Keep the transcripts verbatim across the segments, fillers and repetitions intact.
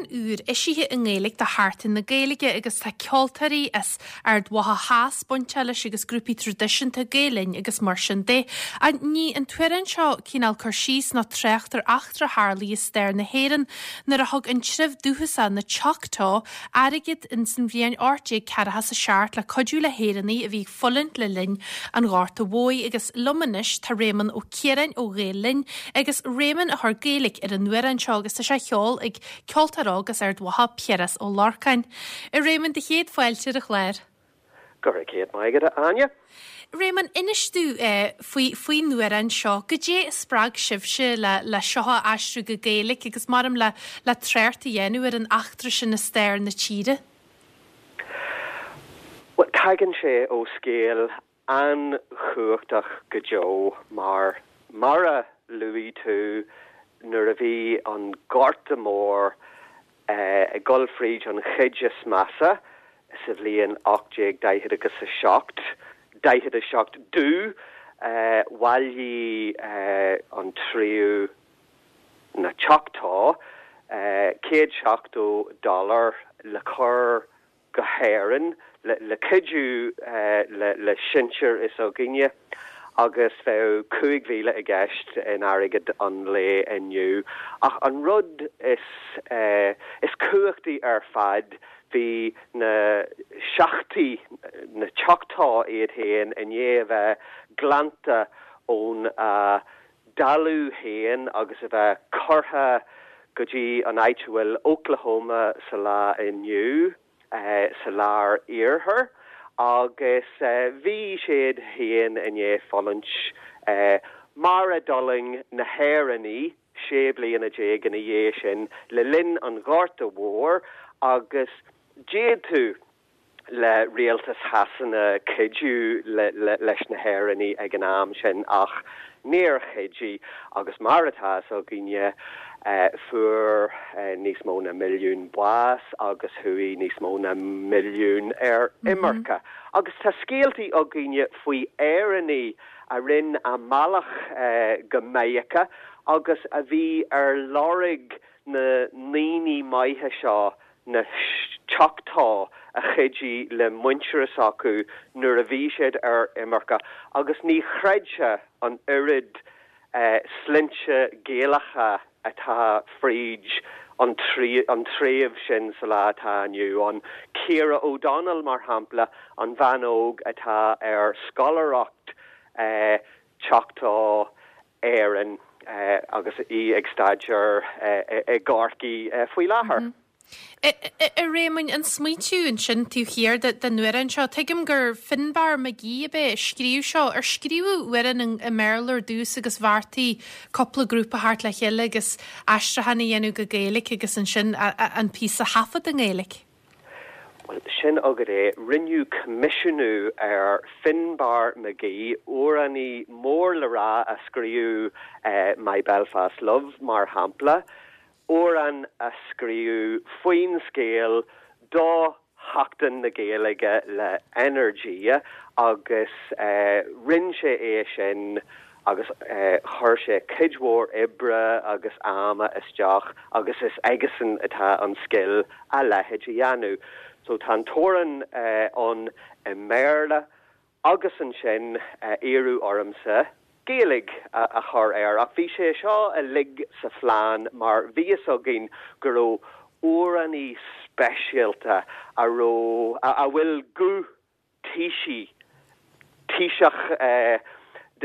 úr eisithe i nGaeilge do Sheachtain na Gaeilge agus tá ceoltóirí as Ard Mhacha Theas bainteach leis agus grúpaí traidisiúnta Gael Linn agus mar sin de. Ní an t-amhrán seo cineál cur síos ná trácht ar eachtra a tharla i stair na hÉireann nuair a thug an treibh dúchasach na Choctaw airgead in san bhliain ocht déag ceathracha is a seacht le cuidiú le hÉireannaigh a bhí ag fulaingt le linn an Ghorta Mhóir agus liom anois tá Réamonn Ó Ciaráin ó Ghael Linn agus Réamonn a chuir Gaeilge ar an amhrán seo agus tá sé á cheol ag ceoltóir óg as Ard Mhacha Piaras Ó Lorcáin. A Réamonn do chéad fáilte ar an chlár. Go raibh céad maith agat Áine? Réamonn inis dúinn eh, faoi faoin amhrán seo, goidé a spreag sibhse le le seo a aistriú go Gaeilge agus maram le le trácht a dhéanamh ar an eachtra sin i stair na tíre. Well, tagann sé ó scéal an-chumhachtach go deo mar mar a luaigh tú nuair a bhí an Gorta Mór eh, ag dul fríd an chuid is measa sa bhliain ocht déag daichead agus a seacht, daichead a seacht dó eh, bhailigh eh, an treibh na Choctaw eh, céad seachtó dollar le cur go hÉirinn le, le cuidiú eh, le, le sinsir is againne agus bheadh cúig mhíle i gceist in airgead an lae inniu. Ach an rud is eh, is cumhachtaí ar fad bhí na seachtaí na Choctaw iad féin i ndiaidh a bheith glanta ón uh, dtalamh féin agus a bheith curtha go dtí an áit a bhfuil Oklahoma sa lá inniu uh, sa lár iarthar agus uh, bhí siad féin i ndiaidh fulaingt uh, mar a d'fhulaing na hÉireannaigh sé bliana déag ina dhiaidh sin le linn an Ghorta Mhóir agus d'fhéadfadh le rialtas Shasana cuidiú le, le, leis na hÉireannaigh ag an am sin ach níor chuidigh agus mar atá againne uh, fuair uh, níos mó na milliún bás agus chuaigh níos mó na milliún ar mhm. imirce. Mm -hmm. Agus tá scéaltaí againne faoi Éireannaigh a rinne a mbealach uh, go Meiriceá agus a bhí ar lorg na ndaoine maithe seo na Choctaw a chuidigh le muintir s'acu nuair a bhí siad ar imirce agus ní chreidfeá an oiread uh, sloinnte Gaelacha atá fríd an an treibh sin sa lá atá inniu an Ciara O'Donnell mar shampla an bhean óg atá ar scoláireacht uh, Choctaw Éireann uh, agus í ag staidéar uh, i gCorcaigh uh, faoi láthair. Mm -hmm. A Réamoinn an smaointiú ansin taobh thiar den amhrán seo, Tuigim gur Finbar Magee a b'é a scríobh seo ar scríobhadh amhrán i mBéarla ar dtús agus bheartaigh cúpla grúpa theacht le chéile agus aistriúchán a dhéanamh go Gaeilge agus ansin an píosa a thaifead i nGaeilge. Well, sin agad é rinneadh coimisiúnú ar Finbar Magee amhránaí mór le rá a scríobh uh, My Belfast Love mar shampla, amhrán a scríobh faoin scéal do Sheachtain na Gaeilge le Energia agus uh, rinne sé é sin agus uh, chuir sé cuid mhór oibre agus ama isteach agus is aigesan atá an scil a leithéid a dhéanamh. So tá an t-amhrán uh, ann i mBéarla agus ansin uh, iarradh ormsa Gaeilge a, a chur air ach bhí sé seo uilig sa phlean mar bhí a fhios againn go raibh amhránaí speisialta a raibh a, a bhfuil guth taoisigh taoiseach uh,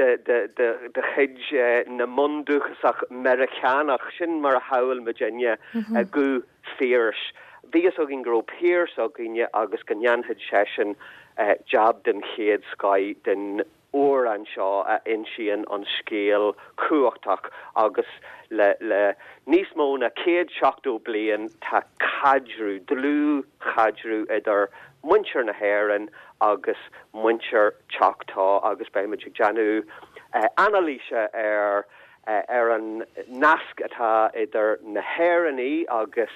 de de de de chuid uh, na mbundúchasach Meiriceánach sin mar a shamhlaigh muidinne mm -hmm. a guth Phiarais. Bhí a fhios againn go raibh Piaras againne agus go ndéanfadh seisean uh, jab den chéad scoth den amhrán seo a insíonn an scéal cumhachtach agus le le níos mó na céad seachtó bliain tá caidreamh dlúthchaidreamh idir muintir na hÉireann agus muintir Choctaw agus beimid ag déanamh uh, anailíse ar uh, ar an nasc atá idir na hÉireannaigh agus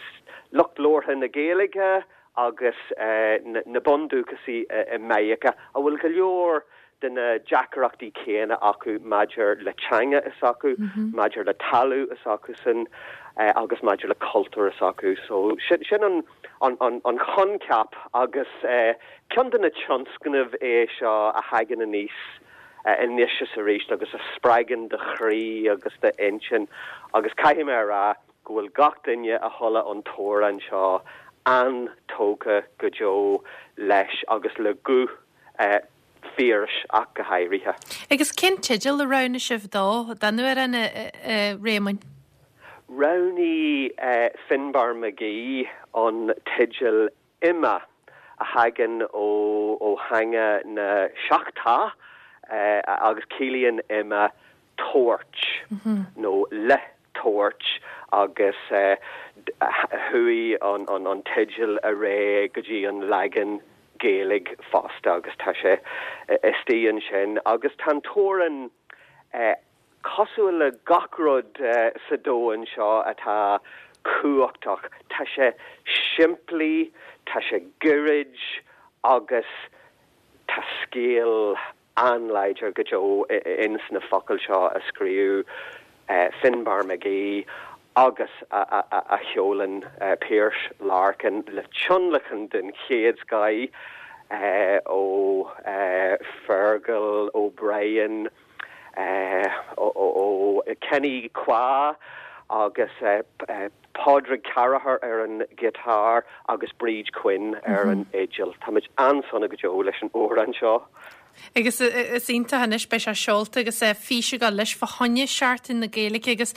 lucht labhartha na Gaeilge agus uh, na, na bundúchasaigh uh, i Meiriceá a bhfuil go leor de na deacrachtaí céanna acu maidir le teanga is acu, mm -hmm. maidir le talamh is acu san agus maidir le cultúr s'acu. So sin, sin an, an, an, an coincheap agus ceann de na tionscnaimh é seo a thagann aníos anois is arís agus a spreagann do chroí agus d'intinn agus caithfidh mé a rá go bhfuil gach duine a chuala an t-amhrán seo an-tógtha go deo leis agus le guth Phiarais ach go háirithe. Agus cén teideal a roghnaigh sibh dó don amhrán, a Réamoinn? Roghnaigh Finbar McGee an teideal Ima a thagann ó theanga na Choctaw agus ciallaíonn Ima tabhairt nó le tabhairt agus chuaigh an teideal ar aghaidh go dtí an leagan Gaeilge fosta agus tá sé istigh ansin agus tá an t-amhrán cosúil le gach rud sa domhan seo atá cumhachtach, tá sé simplí, tá sé gairid agus tá scéal an-láidir go deo ins na focail seo a scríobh Finbar McGee agus a cheolann Piaras Larkin le tionlacan den chéad scoth ó Fergal O'Brien, ó Kenny Kwa agus Pádraig Carraher ar an ghiotár agus Bríd Quinn ar an fhidil. Táimid an-sona go deo leis an amhrán seo. Agus is iontach anois beidh sé seolta agus fís ag dul leis fá choinne Seachtain na Gaeilge agus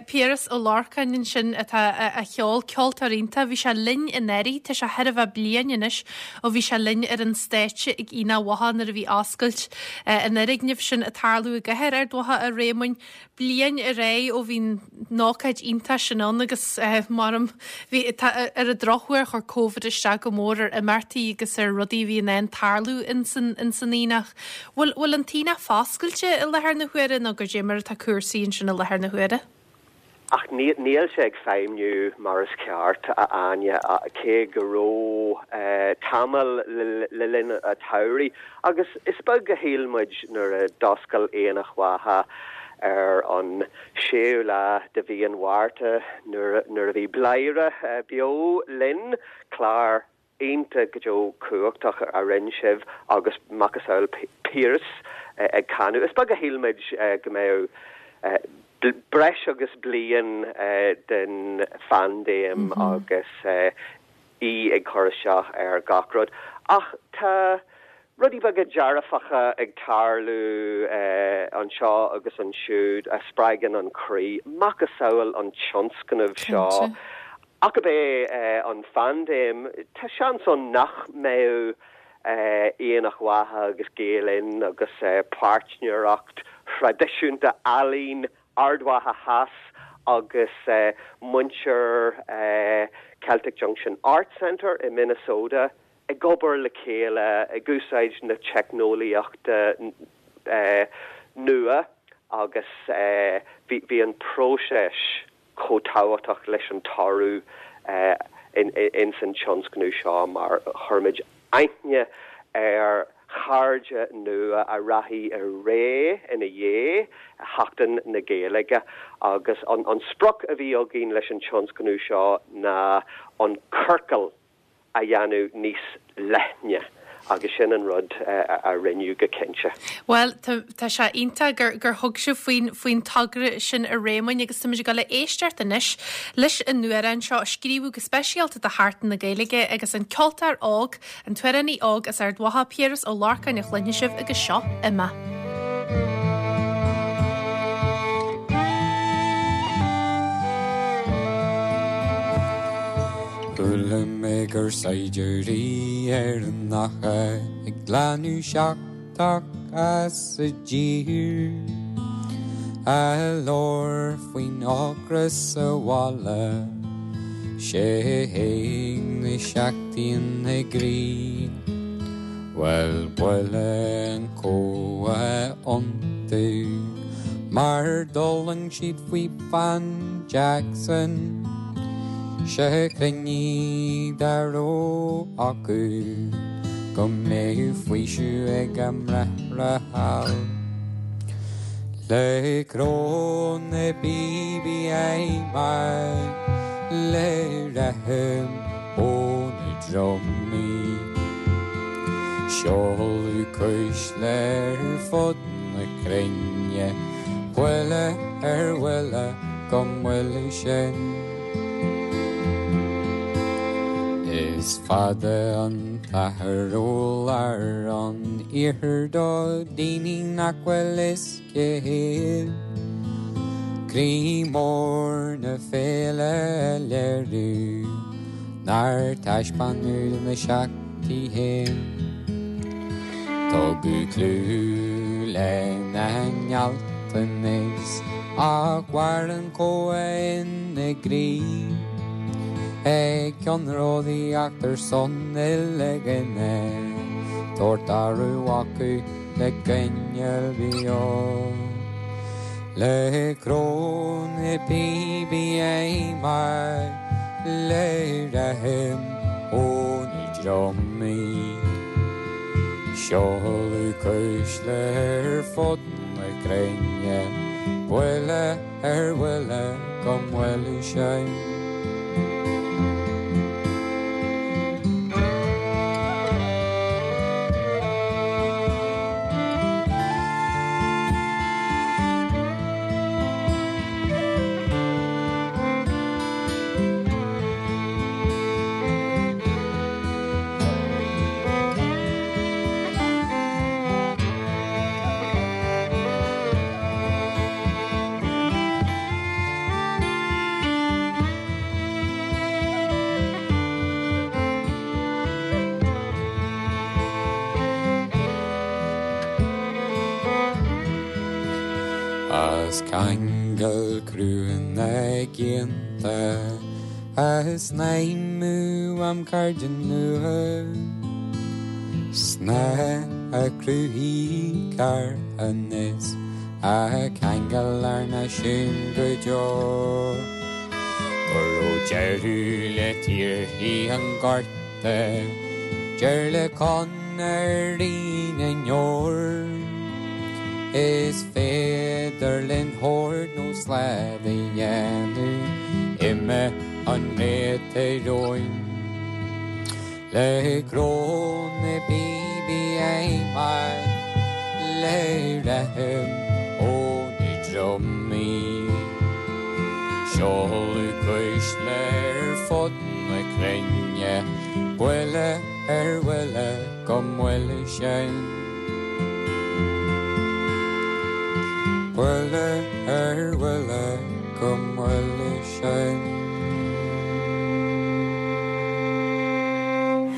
Piaras Ó Lorcáin ansin atá á cheol, ceoltóir iontach. Bhí sé linn anuraidh, tá sé thar a bheith bliain anois ó bhí sé linn ar an stáitse ag Aonach Mhacha nuair a bhí oscailt an fhoirgnimh sin ag tarlú i gcathair Ard Mhacha a Réamoinn. Bliain ar aghaidh ó bhí an ócáid iontach sin ann agus maram bhí tá ar an drochuair chuir Covid isteach go mór ar imeachtaí agus ar rudaí a bhí in ann tarlú ins an ins an Aonach. Bhfuil bhfuil an tAonach foscailte i láthair na huaire nó goidé mar atá cúrsaí ansin i láthair na huaire? Ach níl sé ag feidhmiú mar is ceart, a Áine, cé go raibh tamall le linn an tsamhraidh. Agus is beag a shíl muid nuair a d'oscail Aonach Mhacha ar an séú lá de mhí an Mhárta nuair a bhí Bladhaire beo linn, clár iontach go deo cumhachtach a rinne sibh agus macasamhail Piaras ag canadh. Is beag a shíl muid go mbeadh breis agus bliain den phaindéim agus í ag cur isteach ar gach rud. Ach tá rudaí beaga dearfacha ag tarlú anseo agus ansiúd a spreagann an croí, macasamhail an tionscnaimh seo. Ach ab é an phaindéim, tá seans ann nach mbeadh Aonach Mhacha agus Gael Linn agus páirtnéireacht thraidisiúnta Ealaín Ard Mhacha Theas agus muintir Celtic Junction Arts Centre i Minnesota ag obair le chéile ag úsáid na teicneolaíochta nua agus bhí an próiseas chomh tábhachtach leis an toradh ins an tionscnamh seo mar chuir muid aithne ar chairde nua a rachaidh ar aghaidh ina dhiaidh Sheachtain na Gaeilge agus an sprioc a bhí againn leis an tionscnamh seo ná an ciorcal a dhéanamh níos leithne agus sin an rud a rinneadh go cinnte. Bhuel, tá sé iontach gur gur thug sibh faoin faoin togra sin a Réamoinn agus táimid ag dul a éisteacht anois leis an amhrán seo a scríobhadh go speisialta do Sheachtain na Gaeilge agus an ceoltóir óg, an t-amhránaí óg as Ard Mhacha, Piaras Ó Lorcáin a chluinfidh sibh agus seo Ima. Chuala mé gur saighdiúirí Éireannacha ag glanadh seachtach as an dtír A labhair faoin ocras sa bhaile 'Sé na seachtain i gcroí Bhuel bualadh an cumha iontu Mar d'fhulaing siad faoi Phean Jackson 'Sé chruinnigh dá raibh acu go mbeadh faoiseamh ag a mbráithre thall. Le cró na bpíobaí aomair le rithim ó na drumaí. Seoladh cuisle ar fud na cruinne, buille ar bhuille go mbuailfidh sinn. Is fada an t-achar ó lár an iarthair do dhaoine nach bhfuil fhios cé hiad. Croí mór na féile a léiriú nár taispeánadh do na seacht haon. Tugadh clú lena ngealltanas ach mhair an cumha ina gcroí. Ag ceannródaíocht ar son uile dhuine, tabhairt aire acu le coinneal beo. Le cró na bpíobaí aomair le rithim ó na drumaí. Seoladh cuisle ar fud na cruinne, buille ar bhuille go mbuailfidh sinn. As ceangal crua na gcianta as snaidhmeadh am cairde nua Snáithe a chruthaigh carthanas a cheangail ár náisiún go deo. Go raibh deireadh le tíortha an Ghorta, deireadh le conairí na ndeor. Is féidir linn hord nó slad a dhéanamh uime an réite romhainn. Le cró na bpíobaí aomair le rithim ó na drumaí. Seoladh cuisle ar fud na cruinne, buille ar bhuille go mbuailfidh sinn. Buille